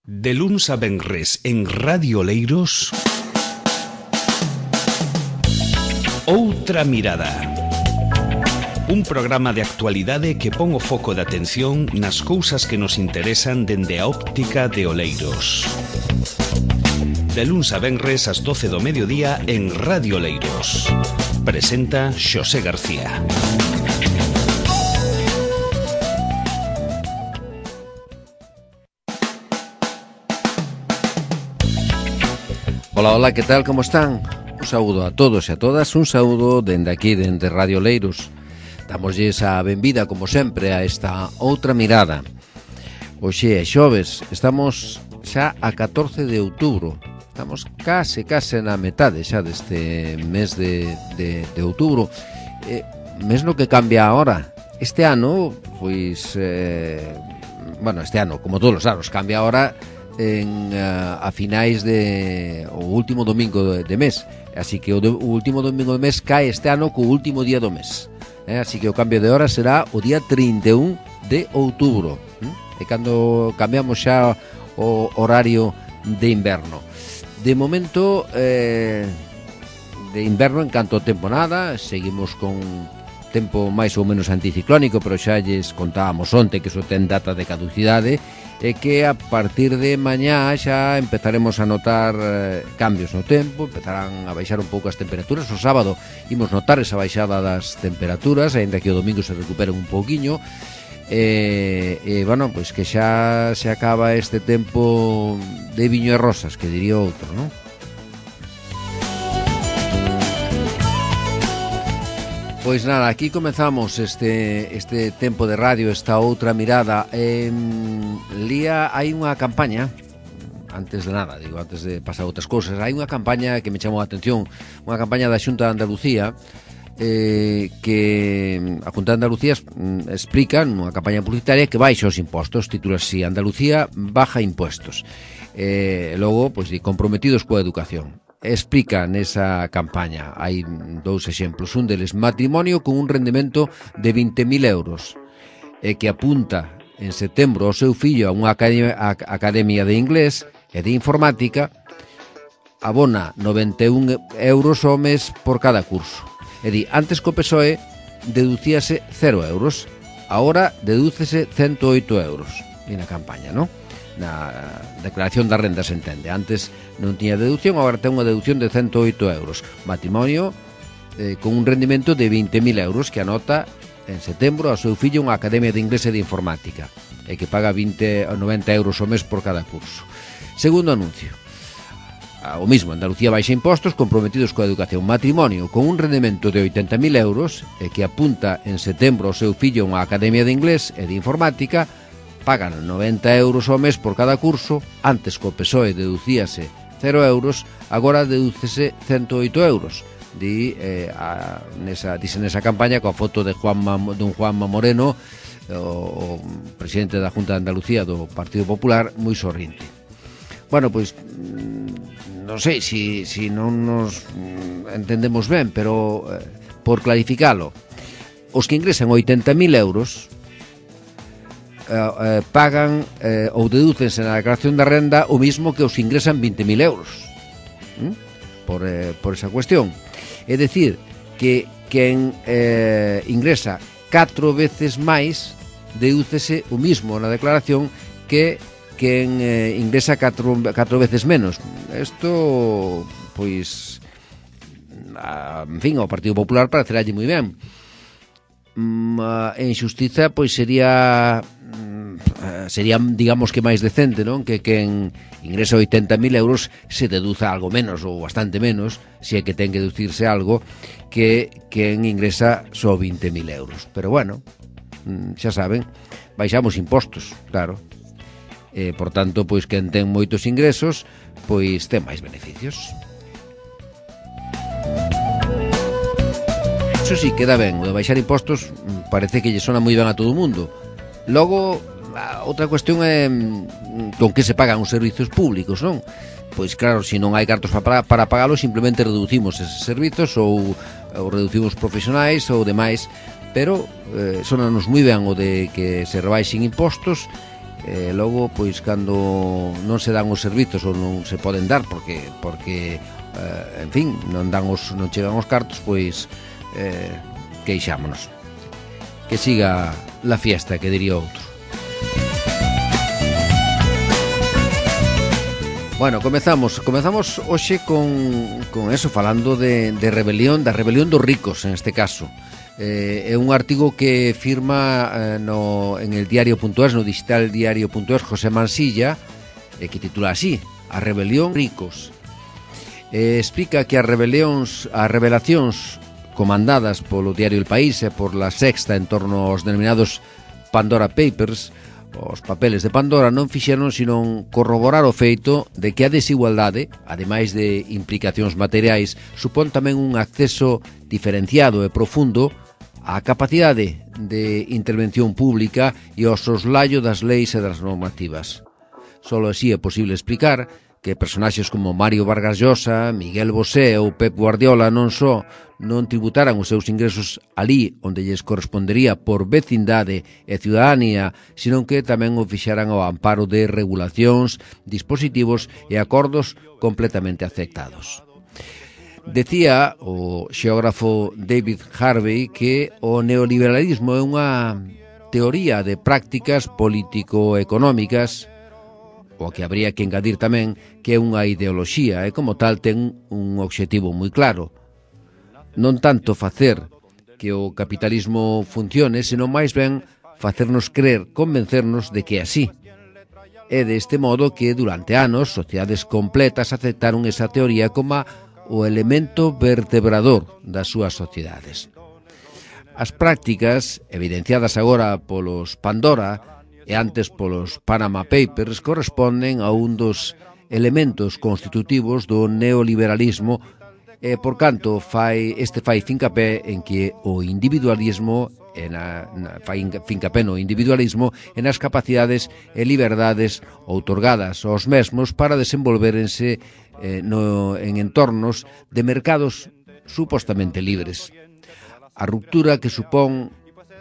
De luns a venres en Radio Oleiros, Outra Mirada. Un programa de actualidade que pon o foco de atención nas cousas que nos interesan dende a óptica de Oleiros. De luns a venres ás 12 do mediodía en Radio Oleiros. Presenta Xosé García. Hola, que tal, como están? Un saúdo a todos e a todas, un saúdo dende aquí, dende Radio Oleiros. Damoslle a benvida, como sempre, a esta Outra Mirada. Hoxe é xoves, estamos xa a 14 de outubro. Estamos case na metade xa deste mes de outubro. Mes no que cambia ahora. Este ano, pois, este ano, como todos os anos, cambia ahora a finais o último domingo de mes. Así que o último domingo do mes cae este ano co último día do mes. Así que o cambio de hora será o día 31 de outubro. E cando cambiamos xa o horario de inverno. De momento, de inverno en canto ao tempo nada, seguimos con tempo máis ou menos anticiclónico, pero xa lles contábamos onte que iso ten data de caducidade e que a partir de mañá xa empezaremos a notar cambios no tempo, empezarán a baixar un pouco as temperaturas. O sábado imos notar esa baixada das temperaturas, aínda que o domingo se recuperen un pouquiño. Bueno, pois que xa se acaba este tempo de viño e rosas, que diría outro, non? Pois nada, aquí comezamos este tempo de radio, esta outra mirada. Lía, hai unha campaña, antes de nada, antes de pasar outras cousas, hai unha campaña que me chamou a atención, unha campaña da Xunta de Andalucía, que a Xunta de Andalucía explica nunha campaña publicitaria que baixa os impostos, titula así: Andalucía baja impuestos. Logo, pois, comprometidos coa educación. Explica nesa campaña, hai dous exemplos, un deles, matrimonio con un rendemento de 20.000 euros, que apunta en setembro ao seu fillo a unha academia de inglés e de informática, abona 91 euros ao mes por cada curso. É dicir, antes co PSOE deducíase 0 euros, agora dedúcese 108 euros. E na campaña, non? Na declaración da renda se entende. Antes non tiña deducción, agora ten unha deducción de 108 euros. Matrimonio con un rendimento de 20.000 euros que anota en setembro ao seu fillo unha academia de inglés e de informática e que paga 90 euros ao mes por cada curso. Segundo anuncio, o mismo, Andalucía baixa impostos, comprometidos coa educación. Matrimonio con un rendemento de 80.000 euros e que apunta en setembro ao seu fillo unha academia de inglés e de informática, pagan 90 euros ao mes por cada curso. Antes co PSOE deducíase 0 euros, agora dedúcese 108 euros. Dice nesa campaña coa foto de don Juanma Moreno, o presidente da Xunta de Andalucía do Partido Popular, moi sorrinte. Bueno, pois non sei se non nos entendemos ben, pero por clarificalo, os que ingresan 80.000 euros pagan ou dedúcense na declaración da renda o mismo que os ingresan 20.000 euros por esa cuestión. É dicir, que quen ingresa 4 veces máis dedúcese o mismo na declaración que quen ingresa 4 veces menos. Isto, pois, en fin, ao Partido Popular parecerá moi ben. En xustiza, pois sería, digamos que máis decente, non? Que quen ingresa 80.000 euros se deduza algo menos ou bastante menos, se é que ten que deducirse algo, que quen ingresa só 20.000 euros. Pero bueno, xa saben, baixamos impostos, claro. Por tanto, pois quen ten moitos ingresos, pois ten máis beneficios. Iso sí, queda ben, o de baixar impostos parece que lle sona moi ben a todo o mundo. Logo, outra cuestión é con que se pagan os servizos públicos, non? Pois claro, se non hai cartos para pagalos, simplemente reducimos eses servizos ou reducimos profesionais ou demais, pero sonanos moi ben o de que se rebaixen impostos logo, pois, cando non se dan os servizos ou non se poden dar porque en fin, non chegan os cartos, pois queixámonos. Que siga la fiesta, que diría outro. Bueno, comezamos hoxe con eso, falando de rebelión, da rebelión dos ricos, en este caso. É un artigo que firma en el diario.es, no digital diario.es, José Mansilla, que titula así: A rebelión ricos. Explica que as revelacións comandadas polo diario El País e por La Sexta en torno aos denominados Pandora Papers, os papeles de Pandora, non fixeron senón corroborar o feito de que a desigualdade, ademais de implicacións materiais, supón tamén un acceso diferenciado e profundo á capacidade de intervención pública e ao soslaio das leis e das normativas. Solo así é posible explicar que personaxes como Mario Vargas Llosa, Miguel Bosé ou Pep Guardiola non só non tributaran os seus ingresos alí onde lles correspondería por vecindade e ciudadanía, senón que tamén o fixeran ao amparo de regulacións, dispositivos e acordos completamente aceptados. Decía o xeógrafo David Harvey que o neoliberalismo é unha teoría de prácticas político-económicas, o que habría que engadir tamén que é unha ideoloxía e como tal ten un obxectivo moi claro. Non tanto facer que o capitalismo funcione, senón máis ben facernos crer, convencernos de que é así. É deste modo que durante anos sociedades completas aceptaron esa teoría como o elemento vertebrador das súas sociedades. As prácticas, evidenciadas agora polos Pandora e antes polos Panama Papers, corresponden a un dos elementos constitutivos do neoliberalismo e, por canto, fai fincapé en que o individualismo fai fincapé no individualismo e nas capacidades e liberdades outorgadas aos mesmos para desenvolverense en entornos de mercados supostamente libres. A ruptura que supón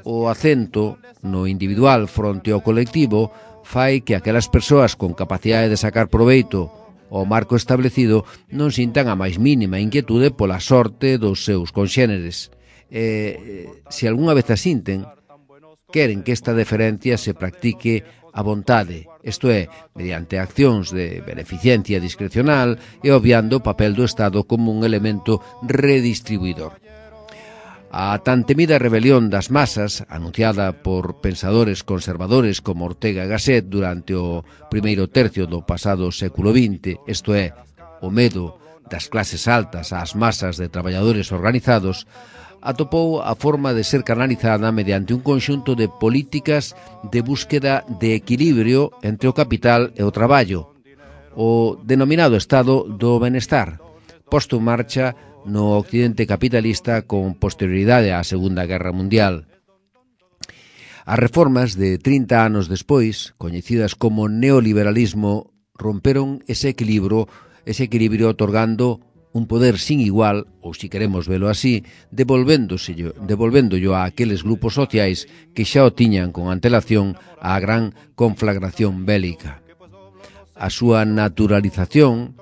o acento no individual fronte ao colectivo fai que aquelas persoas con capacidade de sacar proveito ao marco establecido non sintan a máis mínima inquietude pola sorte dos seus conxéneres. Se algunha vez a sinten, queren que esta deferencia se practique a vontade, isto é, mediante accións de beneficencia discrecional e obviando o papel do Estado como un elemento redistribuidor. A tan temida rebelión das masas, anunciada por pensadores conservadores como Ortega y Gasset durante o primeiro tercio do pasado século XX, isto é, o medo das clases altas ás masas de traballadores organizados, atopou a forma de ser canalizada mediante un conxunto de políticas de búsqueda de equilibrio entre o capital e o traballo, o denominado estado do benestar, posto en marcha no occidente capitalista con posterioridade á Segunda Guerra Mundial. As reformas de 30 anos despois, coñecidas como neoliberalismo, romperon ese equilibrio otorgando un poder sin igual, ou si queremos velo así, devolvéndollo a aqueles grupos sociais que xa o tiñan con antelación á gran conflagración bélica. A súa naturalización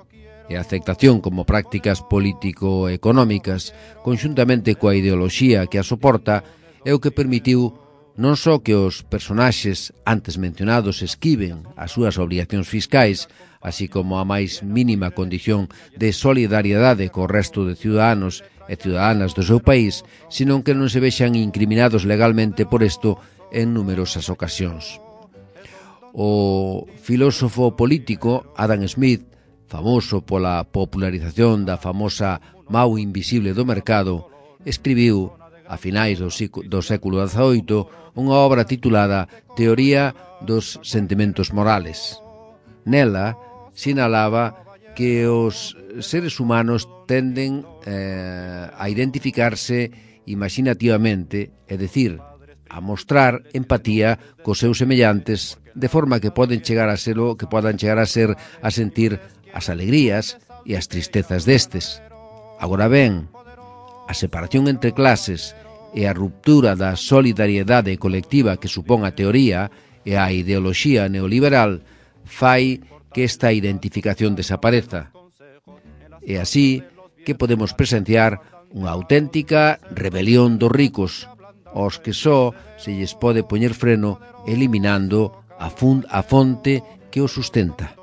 e a aceptación como prácticas político-económicas, conxuntamente coa ideoloxía que a soporta, é o que permitiu non só que os personaxes antes mencionados esquiven as súas obrigacións fiscais, así como a máis mínima condición de solidariedade co resto de ciudadanos e ciudadanas do seu país, senón que non se vexan incriminados legalmente por isto en numerosas ocasións. O filósofo político Adam Smith, famoso pola popularización da famosa Mau invisible do mercado, escribiu, a finais do século XVIII, unha obra titulada Teoría dos sentimentos morales. Nela, sinalaba que os seres humanos tenden a identificarse imaginativamente, é dicir, a mostrar empatía cos seus semellantes, de forma que podan chegar a ser a sentir as alegrías e as tristezas destes. Agora ben, a separación entre clases e a ruptura da solidariedade colectiva que supón a teoría e a ideoloxía neoliberal fai que esta identificación desapareza. E así que podemos presenciar unha auténtica rebelión dos ricos, aos que só se lles pode poñer freno eliminando a fonte que o sustenta.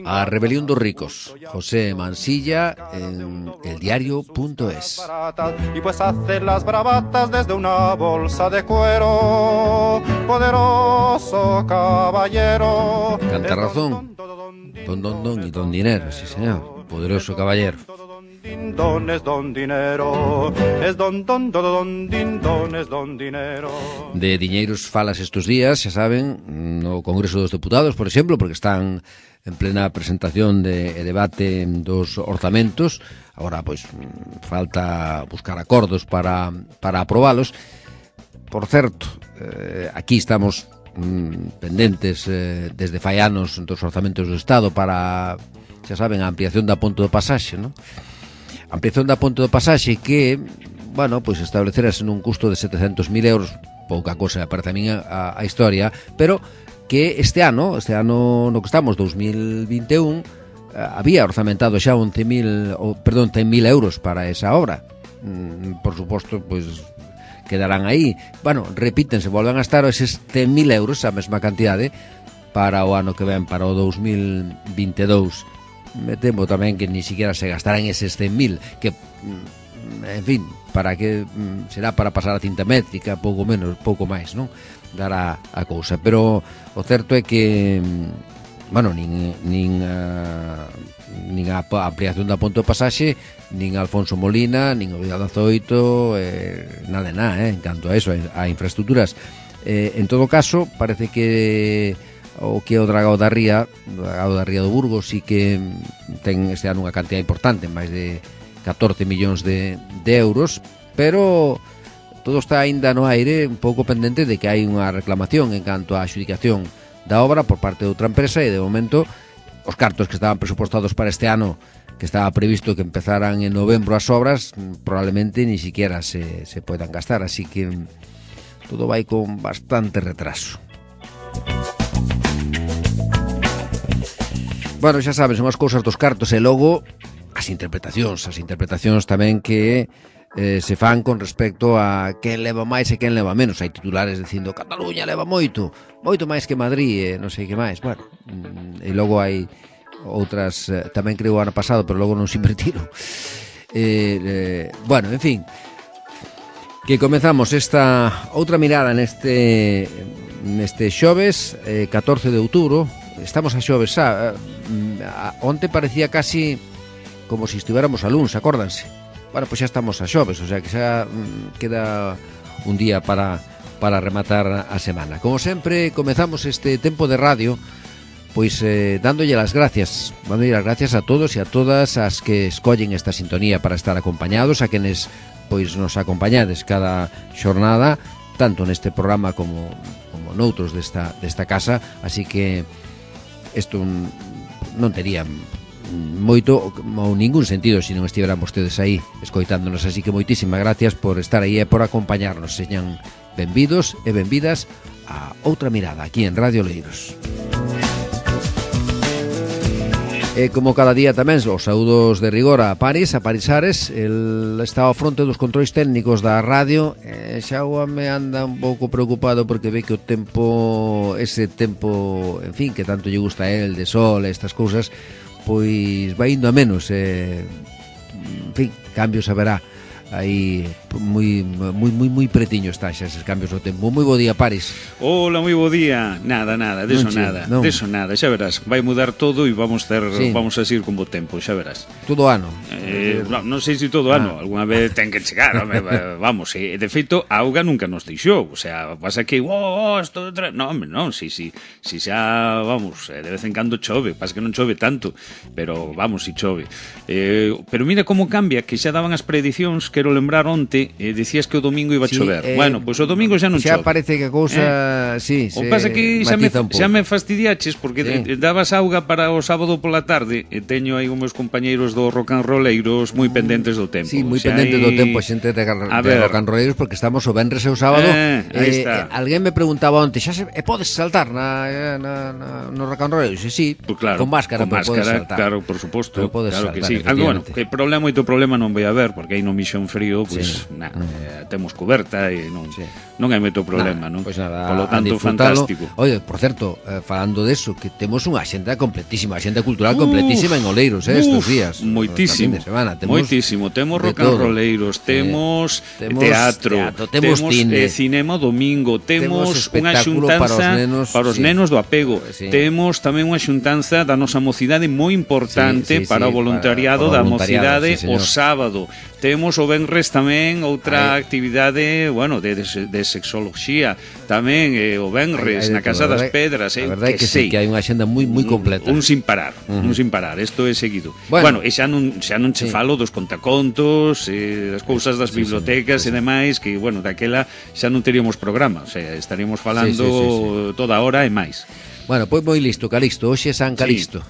A rebelión dos ricos, José Mansilla, en eldiario.es. Y pues hacer las bravatas desde una bolsa de cuero, poderoso caballero. Canta razón, don y don dinero, sí señor, poderoso caballero. Don es don dinero, es don es don dinero. De diñeiros falas estes días, xa saben, no Congreso dos Deputados, por exemplo, porque están en plena presentación e debate dos orzamentos. Agora, pois, falta buscar acordos para aprobalos. Por certo, aquí estamos pendentes desde fai anos dos orzamentos do Estado para, xa saben, a ampliación da ponte do pasaxe, non? Ampliación da ponte do pasaxe que, bueno, pois establecerase nun custo de 700.000 euros, pouca cosa parece a min a historia, pero que este ano no que estamos, 2021, había orzamentado xa 100.000 euros para esa obra. Por suposto, pois quedarán aí. Bueno, repítense, volven a estar eses 100.000 euros, a mesma cantidade, para o ano que ven, para o 2022. Me temo tamén que ni siquiera se gastarán eses 100.000, que, en fin, para que será para pasar a cinta métrica, pouco menos, pouco máis, non? Dará a cousa, pero o certo é que, bueno, nin a ampliación da ponte do pasaxe, nin Alfonso Molina, nin o Vidal 18, nada de nada, en canto a eso, a infraestructuras. En todo caso, parece que o que é o Dragao da Ría do Burgos, sí que ten este ano unha cantidad importante, máis de 14 millóns de euros, pero todo está aínda no aire, un pouco pendente de que hai unha reclamación en canto á adxudicación da obra por parte de outra empresa, e de momento os cartos que estaban presupostados para este ano, que estaba previsto que empezaran en novembro as obras, probablemente ni siquiera se poidan gastar, así que todo vai con bastante retraso. Bueno, xa sabes, son as cousas dos cartos e logo as interpretacións tamén que se fan con respecto a quen leva máis e quen leva menos. Hai titulares dicindo Cataluña leva moito máis que Madrid, non sei que máis. Bueno, e logo hai outras, tamén creo o ano pasado, pero logo non se invertiron. Bueno, en fin, que comezamos esta outra mirada neste xoves, 14 de outubro. Estamos a xoves, onte parecía casi como se estiveramos a luns, acórdanse. Bueno, pois xa estamos a xoves, o sea que xa queda un día para rematar a semana. Como sempre, comezamos este tempo de radio pois dándolle as gracias a todos e a todas as que escollen esta sintonía para estar acompañados, a quenes pois nos acompañades cada xornada, tanto neste programa como noutros desta casa, así que isto non tería moito ou ningún sentido se non estiveran vostedes aí escoitándonos, así que moitísimas gracias por estar aí e por acompañarnos. Señan benvidos e benvidas a outra mirada aquí en Radio Oleiros. E como cada día tamén os saúdos de rigor a Paris Ares, el está ao fronte dos controis técnicos da radio. Xa me anda un pouco preocupado porque ve que o tempo, ese tempo, en fin, que tanto lle gusta a él, de sol e estas cousas, pois vai indo a menos. En fin, cambios haberá aí moi pretiño está xa eses cambios do tempo. Moi bo día, Paris. Hola, moi bo día. Nada, deso nada, xa verás. Vai mudar todo e vamos a seguir con bo tempo, xa verás. Todo ano. Non sei se todo ano, algunha vez ten que chegar, vamos, de feito, a auga nunca nos deixou, o sea, pasa que non, si xa, vamos, de vez en cando chove, pasa que non chove tanto, pero vamos, si chove. Pero mira como cambia, que xa daban as predicións, quero lembrar onte, dicías que o domingo iba a chover. Bueno, pois o domingo xa non chove. Xa parece que a cousa sí, o pasa que xa me fastidiaches porque dabas auga para o sábado pola tarde e teño aí os meus compañeiros do rock and rolleiros moi pendentes do tempo. Sí, moi pendentes do tempo, xente de rock and rolleiros, porque estamos o venres e o sábado. Alguén me preguntaba onte, podes saltar no rock and rolleiros? Sí, pues claro, con máscara, podes saltar. Claro, por suposto, claro que sí. Bueno, que moito problema non vai haber, porque aí no Misión Frío, pues temos coberta e non hai moito problema, non? Pois nada, polo tanto, fantástico. Oye, por certo, falando deso, que temos unha axenda completísima, axenda cultural completísima en Oleiros, estes días. Moitísimo, moitísimo. Temos rock and rolleiros, temos teatro, temos cinema domingo, temos unha xuntanza para os nenos do apego, temos tamén unha xuntanza da nosa mocidade moi importante para o voluntariado da mocidade o sábado. Temos o venres tamén outra actividade, bueno, de sexoloxía, tamén o venres na Casa das Pedras, a verdade é que sí, que hai unha axenda moi completa. Un sin parar, isto é seguido. Bueno, e xa non che falo dos contacontos, das cousas das bibliotecas e demais, que, bueno, daquela xa non teríamos programa, o sea, estaríamos falando toda hora e máis. Bueno, pois moi listo, Calixto, hoxe é San Calixto.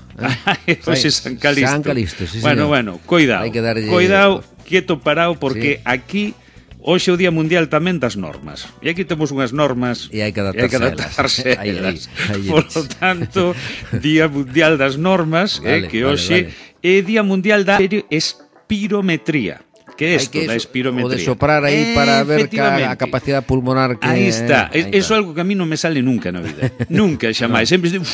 Hoxe é San Calixto. San Calixto, sí, bueno, coidado, quieto parado, porque aquí hoxe é o Día Mundial tamén das normas. E aquí temos unhas normas e hai que adaptarse a elas. Por lo tanto, Día Mundial das Normas, que hoxe é Día Mundial da espirometría. Que é isto da espirometría? O de soprar aí para ver a capacidade pulmonar que... Aí está. Eso é algo que a mí non me sale nunca na vida. Nunca, xamais. Sempre estou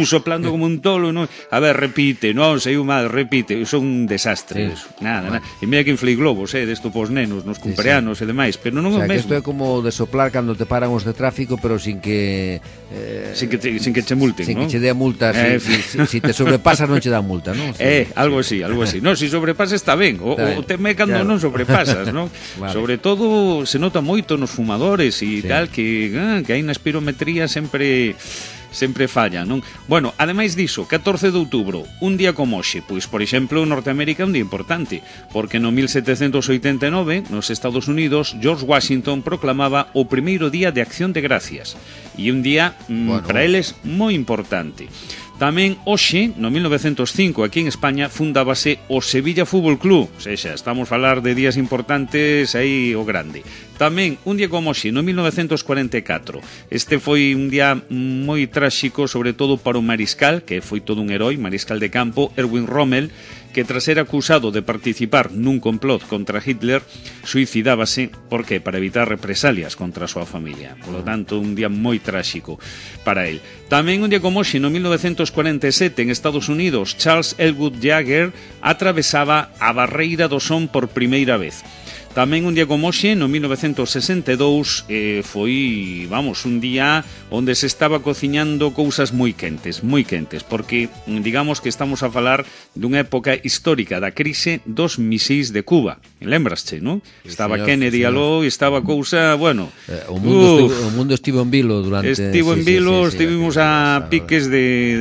soplando como un tolo. Non? A ver, repite. Non, sei mal, repite. Son un desastre. Nada. E mira que inflei globos, desto pos nenos, nos cumpleanos e demais. Pero non é o mesmo. Isto é como de soplar cando te paran os de tráfico, pero sin que... Sin que che multen, non? Sin que che dea multa. Si te sobrepasas non che dá multa, non? Algo así. Non, si sobrepasas está ben. O teme cando non sobrepasas, non? Vale. Sobre todo se nota moito nos fumadores e tal, que hai na espirometría sempre falla, non? Bueno, ademais diso, 14 de outubro, un día como hoxe, pois, por exemplo, en Norteamérica un día importante, porque no 1789, nos Estados Unidos, George Washington proclamaba o primeiro día de Acción de Gracias, e un día para eles moi importante. Tamén hoxe, no 1905, aquí en España, fundábase o Sevilla Fútbol Club. O sea, estamos a falar de días importantes aí o grande. Tamén, un día como hoxe, no 1944. Este foi un día moi tráxico, sobre todo para o mariscal, que foi todo un heroi, mariscal de campo, Erwin Rommel, que tras ser acusado de participar nun complot contra Hitler, suicidábase, por qué? Para evitar represalias contra a súa familia. Por lo tanto, un día moi tráxico para él. Tamén un día como hoxe, no 1947, en Estados Unidos, Charles Elwood Jagger atravesaba a barreira do son por primeira vez. Tamén un día como hoxe, no 1962, foi, un día onde se estaba cociñando cousas moi quentes, porque digamos que estamos a falar dunha época histórica da crise dos misís de Cuba. Lembrasche, non? Estaba Kennedy aló e estaba cousa, bueno... O mundo estivo en vilo durante... Estivemos a piques de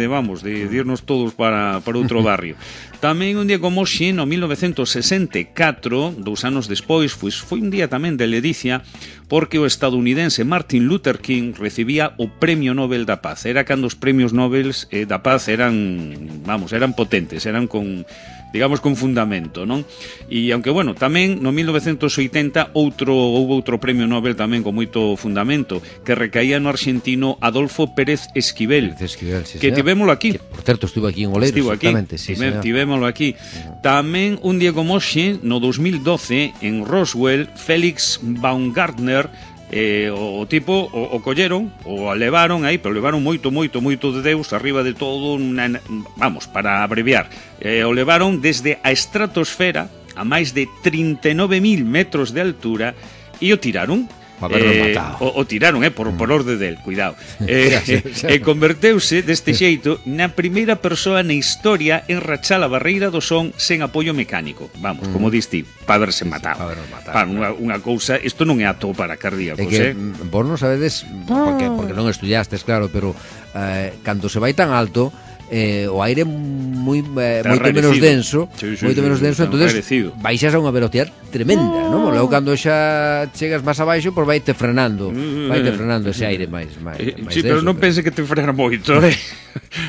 irnos todos para outro barrio. Tamén un día como hoxe, no 1964, 2 anos despois, foi un día tamén de ledicia, porque o estadounidense Martin Luther King recibía o Premio Nobel da Paz. Era cando os premios Nobel da Paz eran potentes, eran con fundamento, non? E aunque, tamén no 1980 houve outro premio Nobel tamén con moito fundamento, que recaía no argentino Adolfo Pérez Esquivel, que tivémolo aquí. Por certo, estuvo aquí en Oleiros, exactamente. Tivémolo aquí. Tamén un día como hoxe, no 2012, en Roswell, Félix Baumgartner, o tipo o colleron, o levaron aí, pero levaron moito de Deus arriba de todo, para abreviar, o levaron desde a estratosfera a máis de 39.000 metros de altura e o tiraron. O tiraron, por orde del, cuidado. E converteuse deste xeito na primeira persoa na historia en rachar a barreira do son sen apoio mecánico. Como diste, para haberse matado. Unha cousa, isto non é apto para cardíacos, Vos non sabedes, porque non estudiastes, claro, pero cando se vai tan alto, o aire moito menos denso, moito menos denso, entonces baixas a unha velocidade tremenda, non? Logo cando xa chegas máis abaixo, pois vaite frenando ese aire máis sí, pero non pense que te frena moito,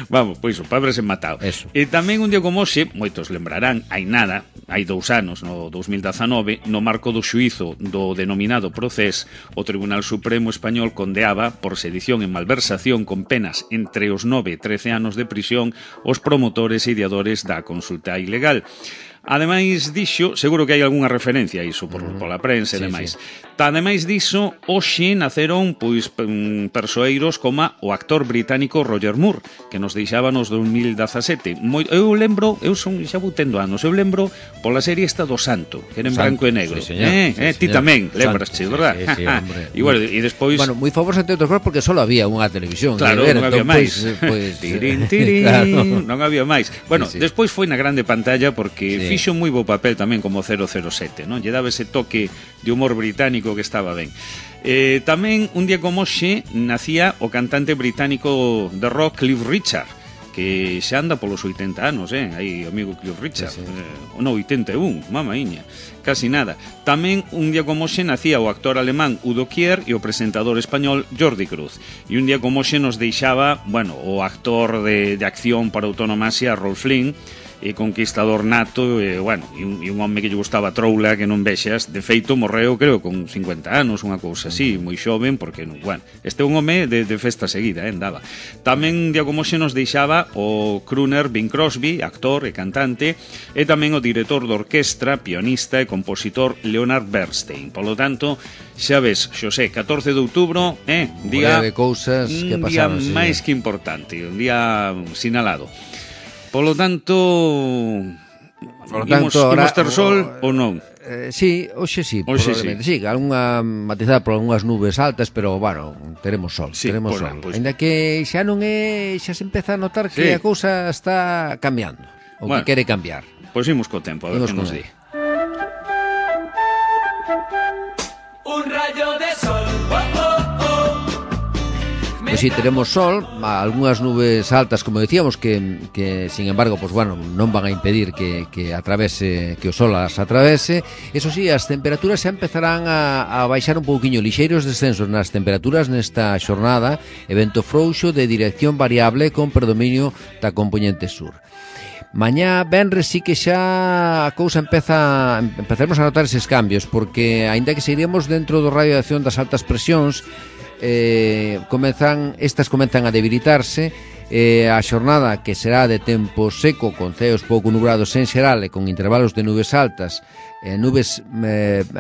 vamos, pois o pobre se matado. E tamén un día como hoxe, moitos lembrarán, hai 2 anos, no 2019, no marco do xuízo do denominado Procés, o Tribunal Supremo Español condeaba por sedición e malversación con penas entre os 9 e 13 anos de prisión os promotores e ideadores da consulta ilegal. Ademais dixo, seguro que hai algunha referencia a iso pola prensa e demais. Ademais diso, hoxe naceron persoeiros como o actor británico Roger Moore, que nos deixaba nos 2017. Eu lembro, xa vou tendo anos, eu lembro pola serie esta do Santo, que era en branco e negro. Ti tamén, lembrasche, verdad? Sí, hombre. E despois... Bueno, moi famoso entre outros porque só había unha televisión. Claro, non había máis. Non había máis. Bueno, despois foi na grande pantalla porque fixo moi bo papel tamén como 007, non? Lle daba ese toque de humor británico que estaba ben. Tamén un día como hoxe nacía o cantante británico de rock Cliff Richard, que xa anda polos 80 anos, aí o amigo Cliff Richard, no 81, mamaíña, casi nada. Tamén un día como hoxe nacía o actor alemán Udo Kier e o presentador español Jordi Cruz. E un día como hoxe nos deixaba, bueno, o actor de acción para autonomasia Rolf Flynn, e conquistador nato, e un home que lle gustaba troula que non vexas. De feito morreu creo con 50 anos, unha cousa así, moi xoven, porque este é un home de festa seguida, andaba. Tamén día como xe nos deixaba o crooner Bing Crosby, actor e cantante, e tamén o director de orquestra, pianista e compositor Leonard Bernstein. Polo tanto, xa ves, Xosé, 14 de outubro, día de cousas que pasaron, un día máis que importante, un día sinalado. Polo tanto, imos ter sol ou non? Sí, hoxe sí, probablemente. Sí, algunha matizada por algunhas nubes altas, pero, bueno, teremos sol, teremos sol. Ainda que xa non é, xa se empeza a notar que a cousa está cambiando, ou que quere cambiar. Pois imos co tempo, a ver que nos di. Un rayo de sol, Pois si, teremos sol, algunhas nubes altas, como decíamos, que sin embargo, pues bueno, non van a impedir que o sol as atravese. Eso sí, as temperaturas xa empezarán a baixar un pouquiño, lixeiros descensos nas temperaturas nesta xornada, evento frouxo de dirección variable con predominio da compoñente sur. Mañá, venres, sí que xa a cousa empezaremos a notar eses cambios, porque aínda que seguiremos dentro do radio de acción das altas presións, comezan a debilitarse. A xornada, que será de tempo seco con ceos pouco nubrados en xeral e con intervalos de nubes altas,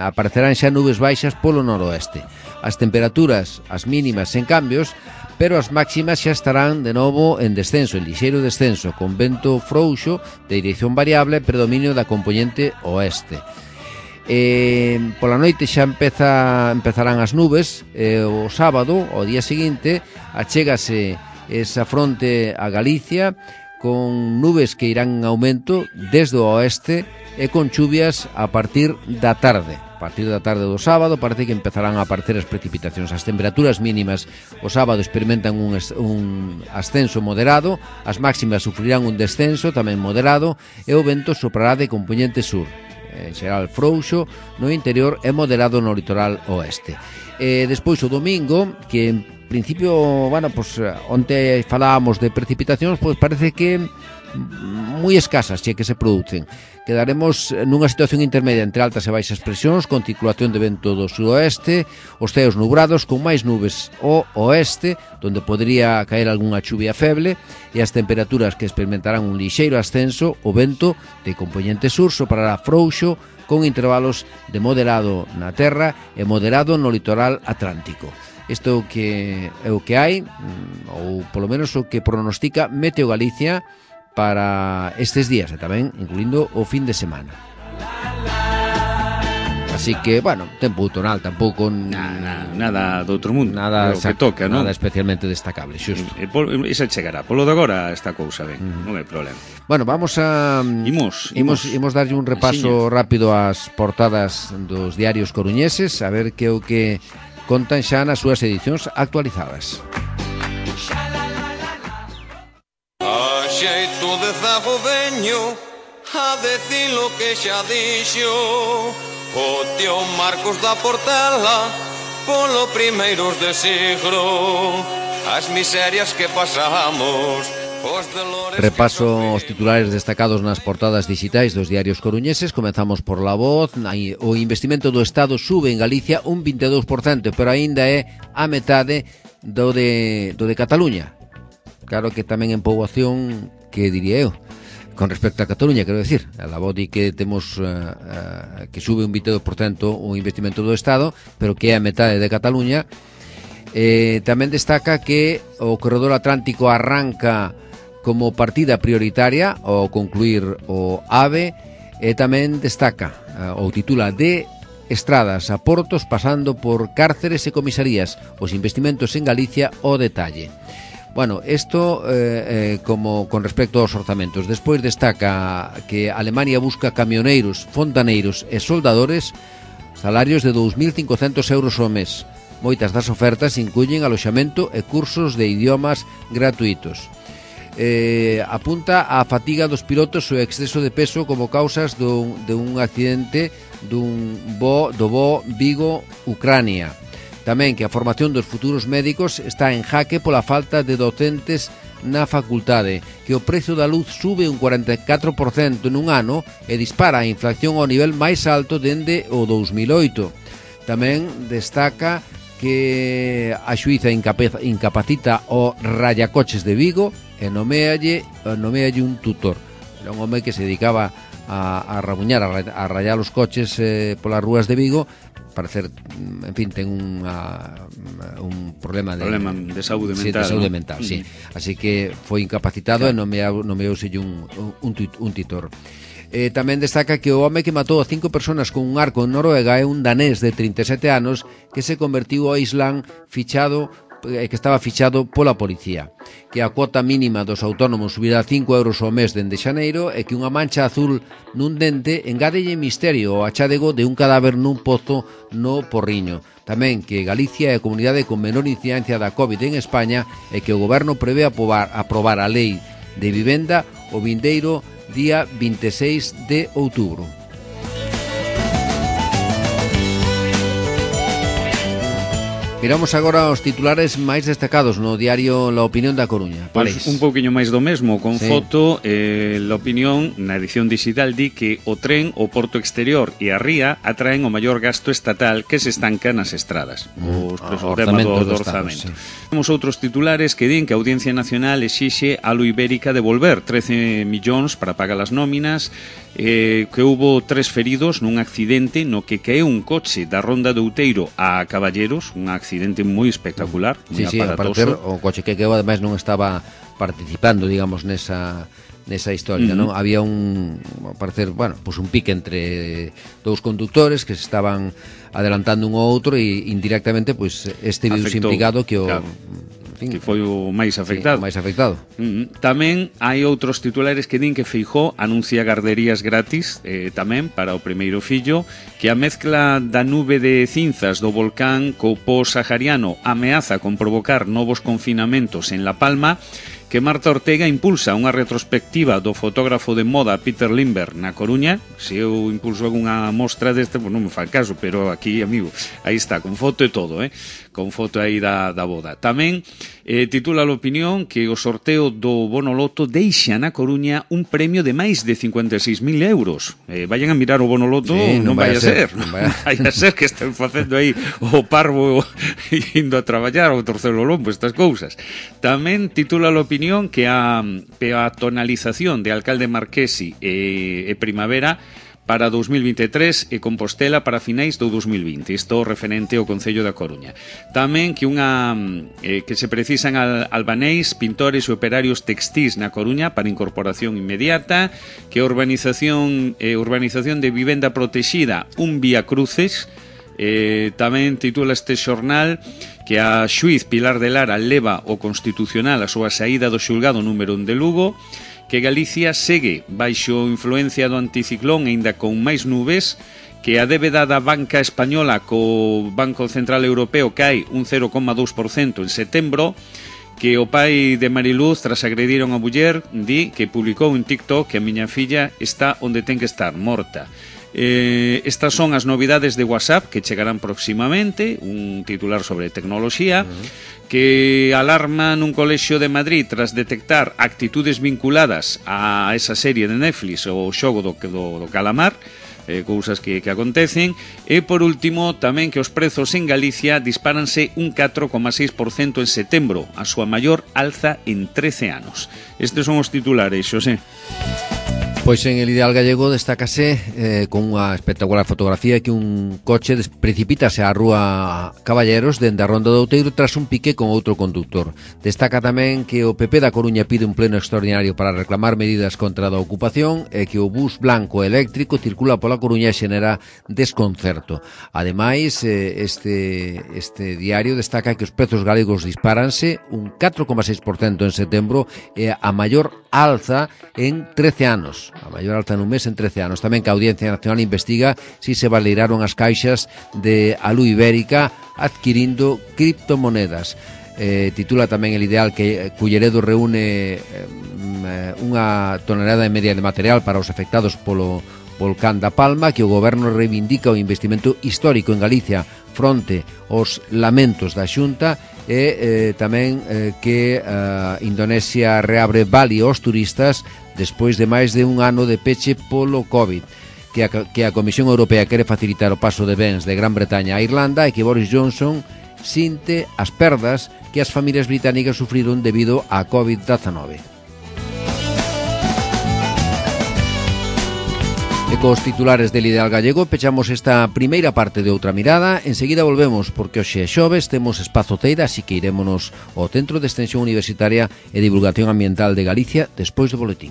aparecerán xa nubes baixas polo noroeste. As temperaturas, as mínimas sen cambios, pero as máximas xa estarán de novo en descenso, en lixeiro descenso, con vento frouxo de dirección variable e predominio da compoñente oeste. Pola noite xa empezarán as nubes. O sábado, o día seguinte, achégase esa fronte a Galicia con nubes que irán en aumento desde o oeste e con chuvias a partir da tarde. A partir da tarde do sábado parece que empezarán a aparecer as precipitacións. As temperaturas mínimas o sábado experimentan un ascenso moderado, as máximas sufrirán un descenso tamén moderado e o vento soprará de compoñente sur, en xeral frouxo no interior e moderado no litoral oeste. Despois o domingo, que en principio, bueno, pues onte falábamos de precipitacións, pois parece que moi escasas que se producen. Quedaremos nunha situación intermedia entre altas e baixas presións, con circulación de vento do sudoeste, os ceos nubrados con máis nubes ao oeste, donde podría caer algunha chuvia feble, e as temperaturas que experimentarán un lixeiro ascenso. O vento de compoñente sur soprará frouxo, con intervalos de moderado na terra e moderado no litoral atlántico. Isto é o que hai, ou polo menos o que pronostica Meteo Galicia para estes días, e tamén incluindo o fin de semana. Así que, bueno, tempo outonal, tampouco nada do outro mundo, nada que toca, non? Nada especialmente destacable, xusto. Esa chegará, polo de agora esta cousa ben, non hai problema. Bueno, vamos a imos darlle un repaso rápido ás portadas dos diarios coruñeses, a ver que é o que contan xa nas súas edicións actualizadas. de Zago veño a decir lo que xa dixo o tío Marcos da Portela polo primeiros de siglo. As miserias que pasamos. Repaso os titulares destacados nas portadas digitais dos diarios coruñeses. Comezamos por La Voz. O investimento do Estado sube en Galicia un 22%, pero aínda é a metade do de Cataluña. Claro que tamén en poboación, que diría eu, con respecto a Cataluña, quero decir, a La Voz di que temos que sube un 22% o investimento do Estado, pero que é a metade de Cataluña. Tamén destaca que o corredor atlántico arranca como partida prioritaria ao concluir o AVE, e tamén destaca ou titula de estradas a portos pasando por cárceres e comisarías, os investimentos en Galicia o detalle. Bueno, isto como con respecto aos orzamentos. Despois destaca que Alemania busca camioneiros, fontaneiros e soldadores, salarios de 2.500 euros ao mes. Moitas das ofertas incluyen aloxamento e cursos de idiomas gratuitos. Apunta a fatiga dos pilotos e o exceso de peso como causas de un accidente do voo Vigo-Ucrania. Tamén que a formación dos futuros médicos está en jaque pola falta de docentes na facultade, que o prezo da luz sube un 44% nun ano e dispara a inflación ao nivel máis alto dende o 2008. Tamén destaca que a xuíza incapacita o rallacoches de Vigo e nomealle un tutor. Era un home que se dedicaba a rabuñar, a rayar os coches polas rúas de Vigo. Parecer, en fin, ten un problema de saúde mental, de saúde mental, sí. Así que foi incapacitado, claro, e nomeouselle un tutor. Tamén destaca que o home que matou a 5 personas con un arco en Noruega é un danés de 37 anos que se convertiu ao Islam que estaba fichado pola policía, que a cuota mínima dos autónomos subirá 5 euros ao mes dende xaneiro e que unha mancha azul nun dente engádelle misterio ao achádego de un cadáver nun pozo no Porriño. Tamén que Galicia é a comunidade con menor incidencia da COVID en España e que o goberno prevé aprobar a lei de vivenda o vindeiro día 26 de outubro. Miramos agora os titulares máis destacados no diario La Opinión da Coruña. Pues un pouquiño máis do mesmo, con foto. La Opinión, na edición digital, di que o tren, o porto exterior e a ría atraen o maior gasto estatal que se estanca nas estradas. Os temas do orzamento. Temos outros titulares que din que a Audiencia Nacional exixe a Lo Ibérica devolver 13 millóns para pagar as nóminas, que hubo 3 feridos nun accidente no que caeu un coche da Ronda de Outeiro a Caballeros, un accidente moi espectacular, moi aparatoso. O coche que caeu ademais non estaba participando, digamos, nesa historia, non? Había un pique entre dous conductores que se estaban adelantando un ao outro e indirectamente este viuse implicado que o... Claro. Que foi o máis afectado. Sí, o máis afectado. Tamén hai outros titulares que din que Feijóo anuncia garderías gratis tamén para o primeiro fillo, que a mezcla da nube de cinzas do volcán co pós-sahariano ameaza con provocar novos confinamentos en La Palma, que Marta Ortega impulsa unha retrospectiva do fotógrafo de moda Peter Lindbergh na Coruña. Se eu impulso algunha mostra deste, non me fa caso, pero aquí, amigo, aí está, con foto e todo, con foto aí da boda. Tamén titula a Opinión que o sorteo do Bono Loto deixa na Coruña un premio de máis de 56.000 euros. Vayan a mirar o Bono Loto, non vai a ser. Non vai a ser que estén facendo aí o parvo indo a traballar ou torcer o lombo, estas cousas. Tamén titula a Opinión que a peatonalización de Alcalde Marquesi e Primavera para 2023 e Compostela para finais do 2020. Isto referente ao Concello da Coruña. Tamén que que se precisan albaneis, pintores e operarios textís na Coruña para incorporación inmediata, que a urbanización de vivenda protexida un vía cruces. Tamén titula este xornal que a xuiz Pilar de Lara leva o Constitucional a súa saída do xulgado número 1 de Lugo, que Galicia segue baixo influencia do anticiclón e ainda con máis nubes, que a débeda da banca española co Banco Central Europeo cae un 0,2% en setembro, que o pai de Mariluz, tras agredir a unha muller, di que publicou en TikTok que a miña filla está onde ten que estar, morta. Estas son as novidades de WhatsApp que chegarán próximamente, un titular sobre tecnoloxía, que alarma nun colexio de Madrid tras detectar actitudes vinculadas a esa serie de Netflix, o xogo do calamar, cousas que acontecen. E por último, tamén que os prezos en Galicia dispáranse un 4,6% en setembro, a súa maior alza en 13 anos. Estes son os titulares, Xosé. Pois en el Ideal Gallego destácase con unha espectacular fotografía que un coche precipítase á rúa Caballeros dende a Ronda do Outeiro tras un pique con outro conductor. Destaca tamén que o PP da Coruña pide un pleno extraordinario para reclamar medidas contra a ocupación e que o bus blanco eléctrico circula pola Coruña e xenera desconcerto. Ademais, este diario destaca que os prezos galegos dispáranse un 4,6% en setembro e a maior alza en 13 anos. A maior alta nun mes en 13 anos. Tamén que a Audiencia Nacional investiga si se validaron as caixas de Alu Ibérica adquirindo criptomonedas. Titula tamén el Ideal que Culleredo reúne unha tonelada e media de material para os afectados polo volcán da Palma, que o goberno reivindica o investimento histórico en Galicia fronte aos lamentos da Xunta, e tamén que Indonesia reabre Bali aos turistas despois de máis de un ano de peche polo COVID, que a Comisión Europea quere facilitar o paso de bens de Gran Bretaña a Irlanda e que Boris Johnson sinte as perdas que as familias británicas sufriron debido á COVID-19. E cos titulares del Ideal Gallego pechamos esta primeira parte de Outra Mirada. Enseguida volvemos porque hoxe é xoves, temos espazo Teira, así que irémonos ao Centro de Extensión Universitaria e Divulgación Ambiental de Galicia despois do boletín.